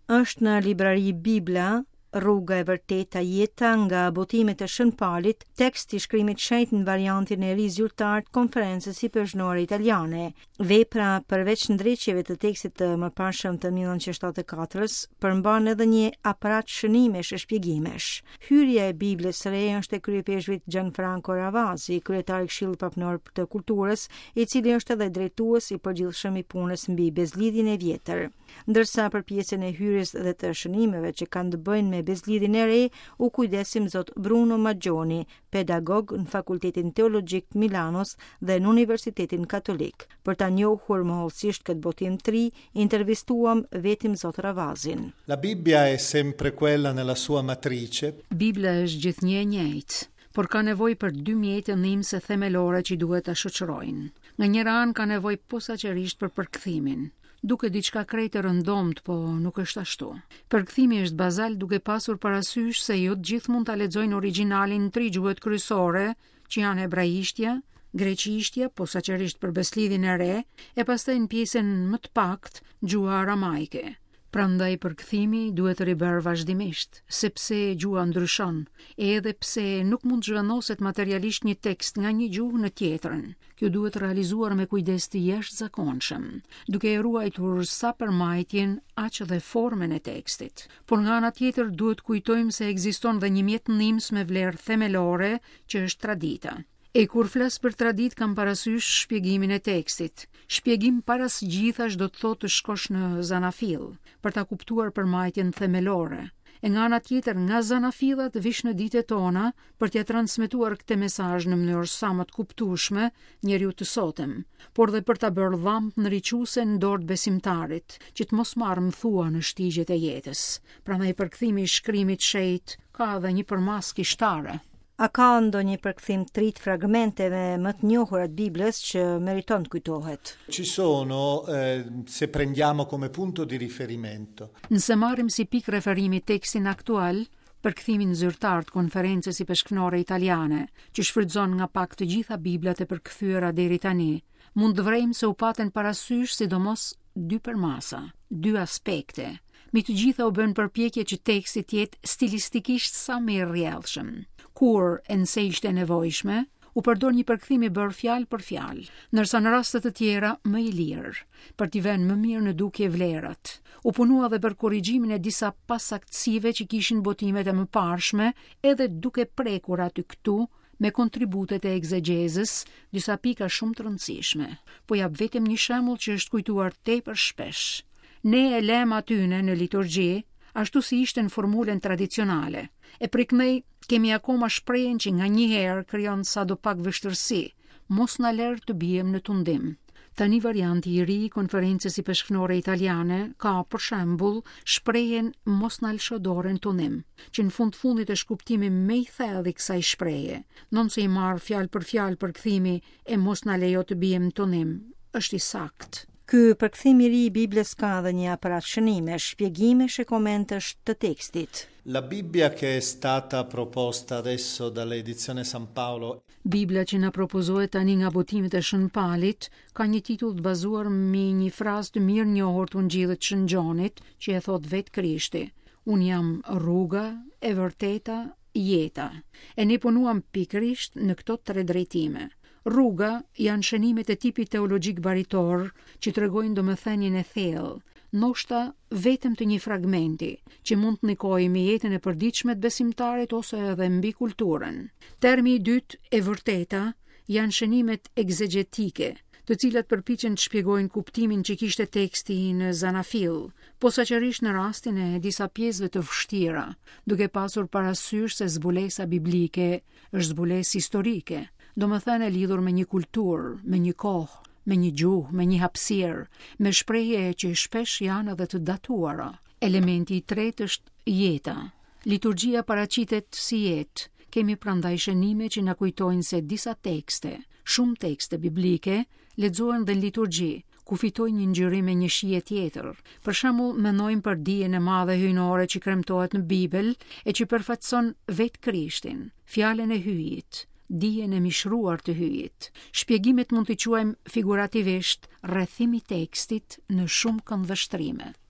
Është në librari Bibla, Rruga e vërteta jeta nga botimet e Shën Palit, tekst i shkrimit shenjt në variantin e ri zyrtar të Konferencës Ipeshkvnore Italiane. Vepra, përveç ndreqjeve të tekstit të mëparshëm të 1974-s, përmban edhe një aparat shënimesh e shpjegimesh. Hyrja e Biblës së re është e kryeipeshkvit Gianfranco Ravasi, kryetar i Këshillit Papnor të Kulturës, i cili është edhe drejtues i përgjithshëm i punës mbi Besëlidhjen e Vjetër. Ndërsa për pjesën e hyrjes dhe të shënimeve që kanë të bëjnë me Besëlidhjen e Re, u kujdes Imzot Bruno Maggioni, pedagog në Fakultetin Teologjik të Milanos dhe në Universitetin Katolik. Për ta njohur më hollësisht këtë botim të ri, intervistuam vetë Imzot Ravazin. La Bibbia è sempre quella nella sua matrice. Bibla është gjithnjë e njëjtë, por ka nevojë për dy mjete ndihmëse themelore që duhet ta shoqërojnë. Nga njëra anë ka nevojë posaçërisht për përkthimin. Duket diçka krejt e rëndomtë, po nuk është ashtu. Përkthimi është bazal duke pasur parasysh se jo të gjithë mund ta lexojnë origjinalin në tri gjuhët kryesore, që janë hebraishtja, greqishtja, posaçërisht për Besëlidhjen e Re, e pastaj në pjesën më të paktë gjuha aramajke. Prandaj përkthimi duhet ribërë vazhdimisht, sepse gjuha ndryshon, edhe pse nuk mund të zhvendoset materialisht një tekst nga një gjuhë në tjetrën. Kjo duhet realizuar me kujdes të jashtëzakonshëm, duke e ruajtur sa përmbajtjen, aq dhe formën e tekstit. Por nga ana tjetër duhet kujtojmë se ekziston dhe një mjet ndihmës me vlerë themelore, që është tradita. E kur flas për traditë kam parasysh shpjegimin e tekstit. Shpjegim para së gjithash do të thotë të shkosh në zanafillë, për ta kuptuar përmbajtjen themelore. E nga ana tjetër, nga zanafilla të vish në ditët tona për t'ia transmetuar këtë mesazh në mënyrë sa më të kuptueshme njeriut të sotëm, por dhe për ta bërë llambë ndriçuese në dorë të besimtarit, që të mos marrë mëthua në shtigjet e jetës. Prandaj përkthimi i shkrimit të shenjtë ka edhe një përmasë kishtare. A ka ndonjë përkthim të ri të fragmenteve më të njohura të Biblës që meriton të kujtohet? Ci sono, eh, se prendiamo come punto di riferimento. Nëse marrim si pikë referimi tekstin aktual, përkthimin zyrtar të Konferencës Ipeshkvnore Italiane, që shfrytëzon nga pak të gjitha Biblat e përkthyera deri tani, mund të vërejmë se u patën parasysh sidomos dy përmasa, dy aspekte. Mbi të gjitha u bënë përpjekje që teksti të jetë stilistikisht sa më i rrjedhshëm. Kur, e nëse ishte e nevojshme, u përdor një përkthim i bërë fjalë për fjalë, ndërsa në raste të tjera më i lirë, për t'i vënë më mirë në dukje vlerat. U punua dhe për korrigjimin e disa pasaktësive që kishin botimet e mëparshme, edhe duke prekur aty këtu me kontributet e ekzegjezës, disa pika shumë të rëndësishme. Po jap vetëm një shembull që është kujtuar tepër shpesh. Ne e lemë atyne në liturgji, ashtu si ishte në formulën tradicionale. E prej këndej kemi akoma shprehjen që nganjëherë krijon sadopak vështirësi, mos na lër të biem në tundim. Tani varianti i ri i Konferencës Ipeshkvnore Italiane ka, për shembull, shprehjen mos na lësho dorën tundim, që në fund të fundit është kuptimi më i thellë i kësaj shprehje, ndonëse i marrë fjalë për fjalë përkthimi e mos na lejo të biem në tundim, është i saktë. Ky përkthim i ri i Biblës ka edhe një aparat shënimesh, shpjegimesh e komentesh të tekstit. La Bibbia che è stata proposta adesso dall'edizione San Paolo. Bibla që na propozohet tani nga botimet e Shën Palit ka një titull të bazuar mbi një frazë të mirënjohur të Ungjillit të Shën Gjonit, që e thotë vetë Krishti. Unë jam rruga, e vërteta, jeta. E ne punuam pikërisht në këto tre drejtime. Rruga janë shënimet e tipit teologjik baritor që tregojnë domethënien e thellë, ndoshta vetëm të një fragmenti, që mund të ndikojë mbi jetën e përditshme të besimtarit ose edhe mbi kulturën. Termi i dytë, e vërteta, janë shënimet ekzegjetike, të cilat përpiqen të shpjegojnë kuptimin që kishte teksti në zanafillë, posaçërisht në rastin e disa pjesëve të vështira, duke pasur parasysh se zbulesa biblike është zbulesë historike, domethënë e lidhur me një kulturë, me një kohë, me një gjuhë, me një hapësirë, me shprehje që shpesh janë edhe të datuara. Elementi i tretë është jeta. Liturgjia paraqitet si jetë. Kemi prandaj shënime që na kujtojnë se disa tekste, shumë tekste biblike, lexohen dhe në liturgji, ku fitojnë një ngjyrim e një shije tjetër. Për shembull, mendojmë për dijen e madhe hyjnore që kremtohet në Bibël e që përfaqëson vetë Krishtin, fjalën e Hyjit, dijen e mishëruar të Hyjit. Shpjegimet mund t'i quajmë figurativisht rrethim i tekstit në shumë këndvështrime.